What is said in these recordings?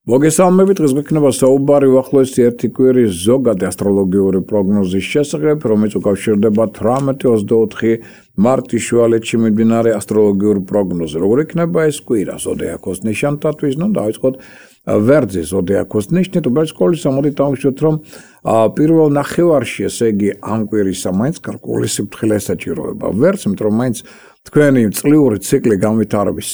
მოგესალმებით, დღეს გვექნება საუბარი უახლოესი ერთი კვირის ზოგადი ასტროლოგიური პროგნოზის შესახებ, რომელიც უკავშირდება 18-24 მარტის შუალედში მიმდინარე ასტროლოგიურ პროგნოზს. როგორ იქნება ეს კვირა ზოდიაქოს ნიშანთათვის? დავიწყოთ ვერძის ზოდიაქოს ნიშნით, უბრალოდ სკოლის ამოდით დავუშვათ, რომ პირველ ნახევარში, ესე იგი ამ კვირისა მაინც გარკვეული სიფრთხილე ესაჭიროება ვერძს, იმიტომ რომ მაინც თქვენი წლიური ციკლი განვითარების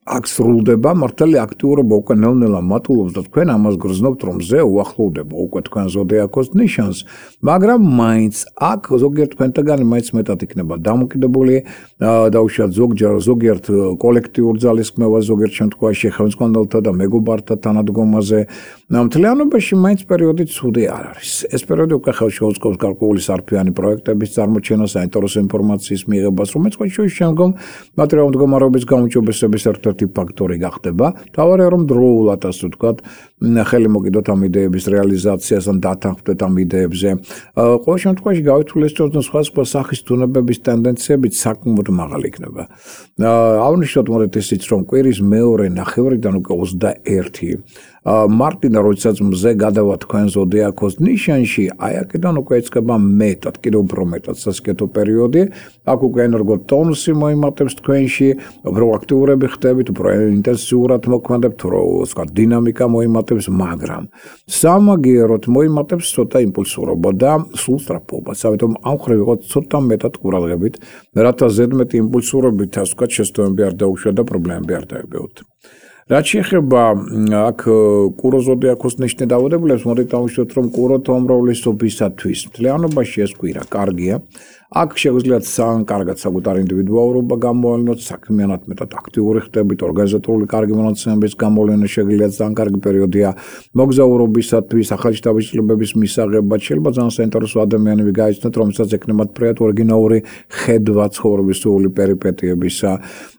აქ სრულდება, მართალი აქტიურობა უკვე ნელ-ნელა მატულობს და თქვენ ამას გრძნობთ, რომ ზე უახლოვდება უკვე თქვენ ზოდიაქოს ნიშანს, მაგრამ მაინც აქ ზოგიერთ თქვენთაგანი მაინც მეტად იქნება დამოკიდებული, დავუშვათ ზოგიერთ კოლექტიურ ძალისხმევას, ზოგიერთ შემთხვევაში ხელმძღვანელთა და მეგობართა თანადგომაზე. მთლიანობაში მაინც პერიოდი ცუდი არ არის. ეს პერიოდი უკვე ხელს შეუწყობს გარკვეული სარფიანი პროექტების წარმოჩენას, საინტერესო ინფორმაციის მიღებას, რომელიც შემდგომ მატერიალურ მდგომარეობის გაუმჯობესების ერთ-ერთი ფაქტორი გახდება. თავარია რომ დროულად, ასე ვთქვათ, ხელი მოგიდოთ ამ იდეების რეალიზაციას ან დათანხმდეთ ამ იდეებზე. ყოველ შემთხვევაში გავითვალისწინოთ, რომ სხვადასხვა სახის თუნებების ტენდენციებიც საკმაოდ მაღალი იქნება. აღნიშნოთ მოდით ისიც, რომ კვირის მეორე ნახევრიდან უკვე 21 მარტიდან, როდესაც მზე გადავა თქვენ ზოდიაქოს ნიშანში, აი აქედან უკვე იწყება მეტად, კიდევ უფრო მეტად სასკეთო პერიოდი. აქ უკვე ენერგო ტონუსი მოიმატებს თქვენში, უფრო აქტიურები ხდებით, უფრო ინტენსიურად მოქმედებთ, ვთქვათ, დინამიკა მოიმატებს, მაგრამ სამაგიეროდ მოიმატებს ცოტა იმპულსურობა და სულ სწრაფობას. ამიტომ ამ ხრივ ვიყოთ ცოტა მეტად ყურადღებით, რათა ზედმეტი იმპულსურობით, ასე ვთქვათ, შესტოები არ დაუშვათ და პრობლემები არ დაებეოთ. რაც შეეხება აქ კურო ზოდიაქოს ნიშნით დაავადებლებს, მოდით დავუშვათ, რომ კურო თომრავლისობისათვის მთლიანობაში ეს კვირა კარგია. აქ შეგვიძლიათ კარგად საკუთარი ინდივიდუალურობა გამოავლინოთ, საქმიანად მეტად აქტიური ხდებით, ორგანიზატორული კარგი მონაცემების გამოვლენა შეგიძლიათ ძალიან კარგი პერიოდია მოგზაურობისათვის, ახალი შთაბეჭდილებების მისაღებად. შეიძლება ძალიან საინტერესო ადამიანები გაიცნოთ, რომელსაც ექნებათ ფრიად ორიგინალური ხედვა ცხოვრების სრული პერიპეტიებისა.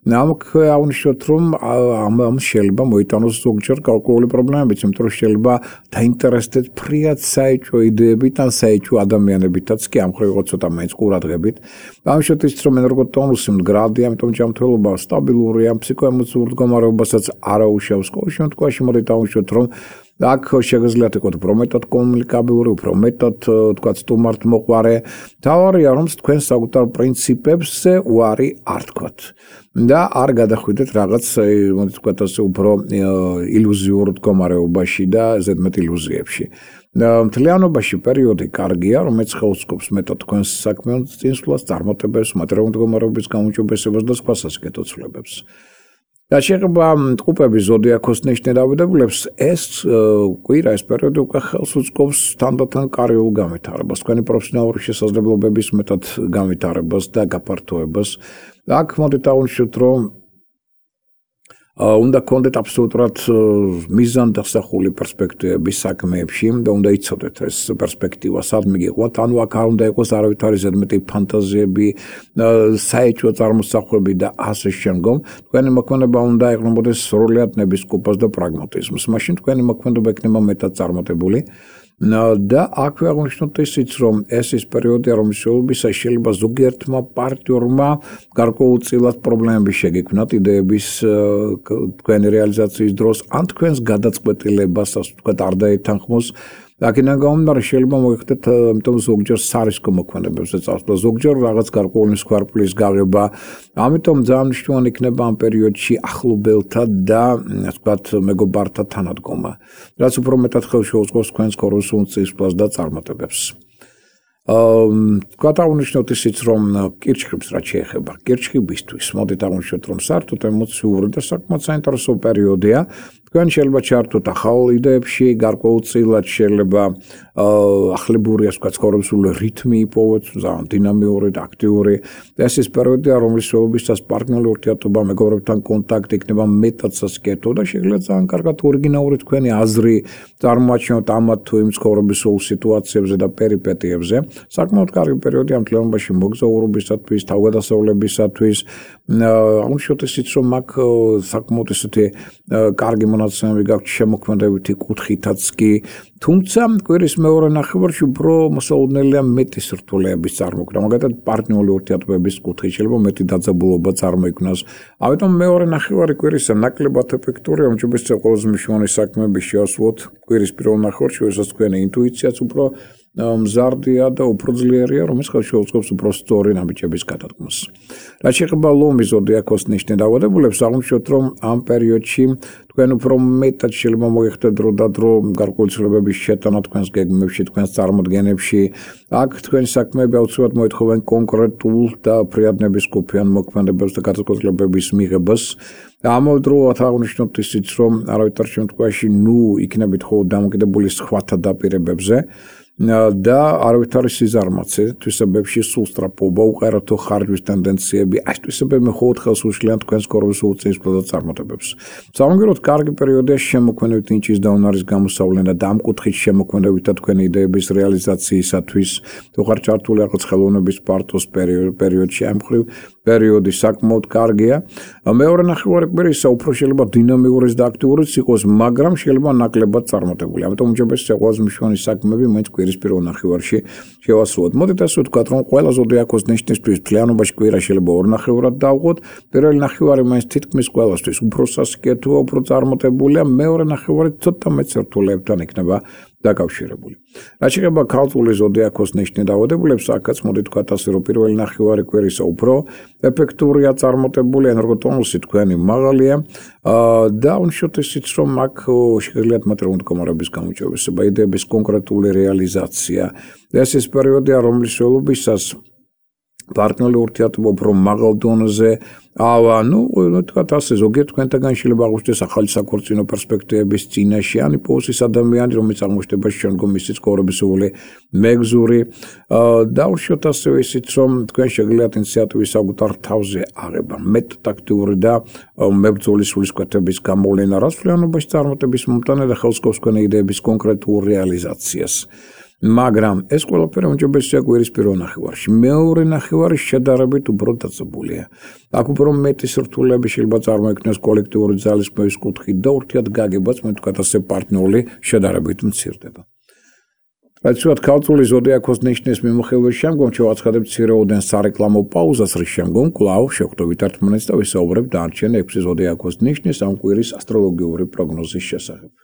ამქ აღნიშნოთ, რომ ამ შეიძლება მოიტანოს ზოგჯერ გარკვეული პრობლემებიც, იმიტომ რომ შეიძლება დაინტერესდეთ ფრიად საეჭვო იდეებით ან საეჭვო ადამიანებითაც კი ამ ხრივ ვიყოთ ცოტა მაინც ყურადღებით. ამჟამად ის რომ ენერგო ტონუსი მდგრადია, ამიტომ ჯანმრთელობა სტაბილურია, ფსიქოემოციურ მდგომარეობასაც არ აუშავს. ყოველ შემთხვევაში მოდით დავუშვათ, რომ აქ შეგიძლიათ იყოთ უფრო მეტად კომუნიკაბილური, უფრო მეტად თქვათ სტუმართმოყვარე. თავარია რომ თქვენ საკუთარ პრინციპებზე უარი არ თქვათ და არ გადახვიდეთ რაღაც მოდით ვთქვათ ასე უფრო ილუზიურ მდგომარეობაში და ზედმეტ ილუზიებში. მთლიანობაში პერიოდი კარგია, რომელიც ხელს მეტად თქვენს საქმიან წინსვლას, წარმატებებს, მატერიალურ მდგომარეობის გაუმჯობესებას და სხვა სასკეთო ცვლილებებს. რაც შეეხება ტყუპების ზოდიაქოს ნიშნით დაავადებლებს, ეს კვირა, ეს პერიოდი უკვე ხელს უწყობს თანდათან კარიულ განვითარებას, თქვენი პროფესიონალური შესაძლებლობების მეტად განვითარებას და გაფართოებას. აქ მოდით აღნიშნოთ, რომ უნდა გქონდეთ აბსოლუტურად მიზანდასახული პერსპექტივები საქმეებში და უნდა იცოდეთ ეს პერსპექტივა სად მიგიყვათ, ანუ აქ არ უნდა იყოს არავითარი ზედმეტი ფანტაზიები, საეჭვო წარმოსახვები და ასე შემდგომ. თქვენი მოქმედება უნდა ეყრდნობოდეს სრულად ნებისყოფას და პრაგმატიზმს. მაშინ თქვენი მოქმედება იქნება მეტად წარმატებული. და აქვე აღნიშნოთ ისიც, რომ ეს ის პერიოდია, რომლის შეულებისას შეიძლება ზოგიერთმა პარტნიორმა გარკვეულწილად პრობლემები შეგექმნათ იდეების თქვენი რეალიზაციის დროს, ან თქვენს გადაწყვეტილებას, ასე ვთქვათ, არ დაეთანხმოს. აქედან გამომდინარე შეიძლება მოიხდეთ, ამიტომ ზოგჯერ სარისკო მოქმედებებზე წავსვლა, ზოგჯერ რაღაც გარკვეული სქვარპლის გაღება. ამიტომ ძალიან მნიშვნელოვანი იქნება ამ პერიოდში ახლობელთა და ასე ვთქვათ, მეგობართა თანადგომა, რაც უფრო მეტად ხელს შეუწყობს თქვენს ქოროსულ წისვლას და წარმატებებს. თქვათ აღნიშნოთ ისიც, რომ კირჩხიბს რაც შეეხება, კირჩხიბისთვის მოდით აღნიშნოთ, რომ საერთოდ ემოციური და საკმაოდ საინტერესო პერიოდია. თქვენ შეიძლება ჩართოთ ახალ იდეებში, გარკვეულწილად შეიძლება ახლებური, ასე ვთქვათ, ცხოვრებისული რითმი იპოვოთ, ძალიან დინამიური და აქტიური. ეს ის პერიოდია, რომლის შეულებისას პარტნიორული ურთიერთობა, მეგობრებთან კონტაქტი იქნება მეტად სასკეთო და შეგიძლიათ ძალიან კარგად ორიგინალური თქვენი აზრი წარმოაჩინოთ ამათ თუ იმ ცხოვრებისულ სიტუაციებზე და პერიპეტიებზე. საკმაოდ კარგი პერიოდი ამ თლიანობაში მოგზაურობისათვის, თავგადასავლებისათვის, აღნიშნოთ ისიც, რომ აქ საკმაოდ ესეთი კარგი მონაცემები გაქვთ შემოქმედებითი კუთხითაც კი, თუმცა კვირის მეორე ნახევარში უფრო მოსაოდნელია მეტი სირთულეების წარმოქმნა, მაგალითად პარტნიორული ურთიერთობების კუთხით შეიძლება მეტი დაძაბულობა წარმოიქმნას. ამიტომ მეორე ნახევარი კვირისა ნაკლებად ეფექტურია, რომ შეიძლება ყველაზე მნიშვნელოვანი საქმეები შეასრულოთ კვირის პირველ ნახევარში, როდესაც თქვენი ინტუიციაც უფრო მზარდია და უფრო ძლიერია, რომელიც ხელშეუწყობს უფრო სწორი ნაბიჯების გადადგმას. რაც შეეხება ლომის ზოდიაქოს ნიშნის დაავადებულებს, აღნიშნოთ, რომ ამ პერიოდში თქვენ უფრო მეტად შეიძლება მოიხდეთ დრო და დრო გარკვეული ცვლილებების შეტანა თქვენს გეგმებში, თქვენს წარმოდგენებში. აქ თქვენი საქმეები აუცილებლად მოითხოვენ კონკრეტულ და ფრიად ნებისყოფიან მოქმედებებს და გადაწყვეტილებების მიღებას. ამავდროულად აღნიშნოთ ისიც, რომ არავითარ შემთხვევაში იქნებით ხოლმე დამოკიდებული სხვათა დაპირებებზე და არავითარი სიზარმაცე, თვისებებში სულსწრაფობა, უყარათო ხარჯვის ტენდენციები, ეს თვისებები მხოლოდ ხელს უშლიან თქვენს კორომის უწესრიგ წარმატებებს. სამაგიეროდ კარგი პერიოდია შემოქმედებით ნიჭის და უნარის გამოსავლენ და ამ კუთხით შემოქმედებით და თქვენი იდეების რეალიზაციისათვის, თუ ხარ ჩართული რაღაც ხელოვნების პარტოს პერიოდში, ამ მხრივ პერიოდი საკმაოდ კარგია. მეორე ნახევარი კვირისა უფრო შეიძლება დინამიურიც და აქტიურიც იყოს, მაგრამ შეიძლება ნაკლებად წარმატებული. ამიტომ უჯებესია ყველაზე მნიშვნელოვანი საქმეები მაინც კვირის პირველ ნახევარში შევასრულოთ. მოდით ასე ვთქვათ, რომ ყველა ზოდიაქოს ნიშნისთვის მთლიანობაში კვირა შეიძლება ორ ნახევარად დავყოთ. პირველი ნახევარი მაინც თითქმის ყველასთვის უფრო სასიკეთოა, უფრო წარმატებულია, მეორე ნახევარი ცოტა მეტ სირთულეებთან იქნება დაკავშირებული. რაც შეეხება ქალწული ზოდიაქოს ნიშნის დაავადებულებს, აქაც მოდით ვთქვათ ასე, რომ პირველი ნახევარი კვირისა უფრო ეფექტურია, წარმატებული, ენერგოტონუსი თქვენი მაღალია და უნიშნოთ ისიც, რომ აქ შეგიძლიათ მატერიული მდგომარეობის გამოჩვევება, იდეების კონკრეტული რეალიზაცია. ეს ის პერიოდია, რომლის ველობისას პარტნიორული ურთიერთობა უფრო მაღალ დონეზე თქვათ ასე, ზოგიერთ თქვენთაგან შეიძლება აღვნიშნდეს ახალი საქორწინო პერსპექტივების წინაშე, ან იპოვოს ის ადამიანი, რომელიც აღმოჩნდება შემდგომ მისი ცხოვრებისეული მეგზური და უშუალოდ ასევე ისიც, რომ თქვენ შეგიძლიათ ინიციატივის საკუთარ თავზე აღება, მეტ ტაქტიური და მებრძოლი სულისკვეთების გამოვლენა, რაც მთლიანობაში წარმატების მომტანა და ხელს სკობს თქვენი იდეების კონკრეტულ რეალიზაციას. მაგრამ ეს ყველაფერი უმჯობესია კვირის პირველ ნახევარში. მეორე ნახევარი შედარებით უფრო დაძაბულია. აქ უფრო მეტი სირთულეები შეიძლება წარმოიქმნას კოლექტიური ძალისხმევის კუთხით და ურთიერთგაგებაც, თქვათ ასე, პარტნიორული შედარებით მცირდება. რაც ვთქვათ, ქალწული ზოდიაქოს ნიშნის მიმოხილვის შემდგომ შევაცხადებთ მცირეოდენ სარეკლამო პაუზას, რის შემდგომ კვლავ შევხვდებით ერთმანეთს და ვისაუბრებთ დანარჩენ 6 ზოდიაქოს ნიშნის ამ კვირის ასტროლოგიური პროგნოზის შესახებ.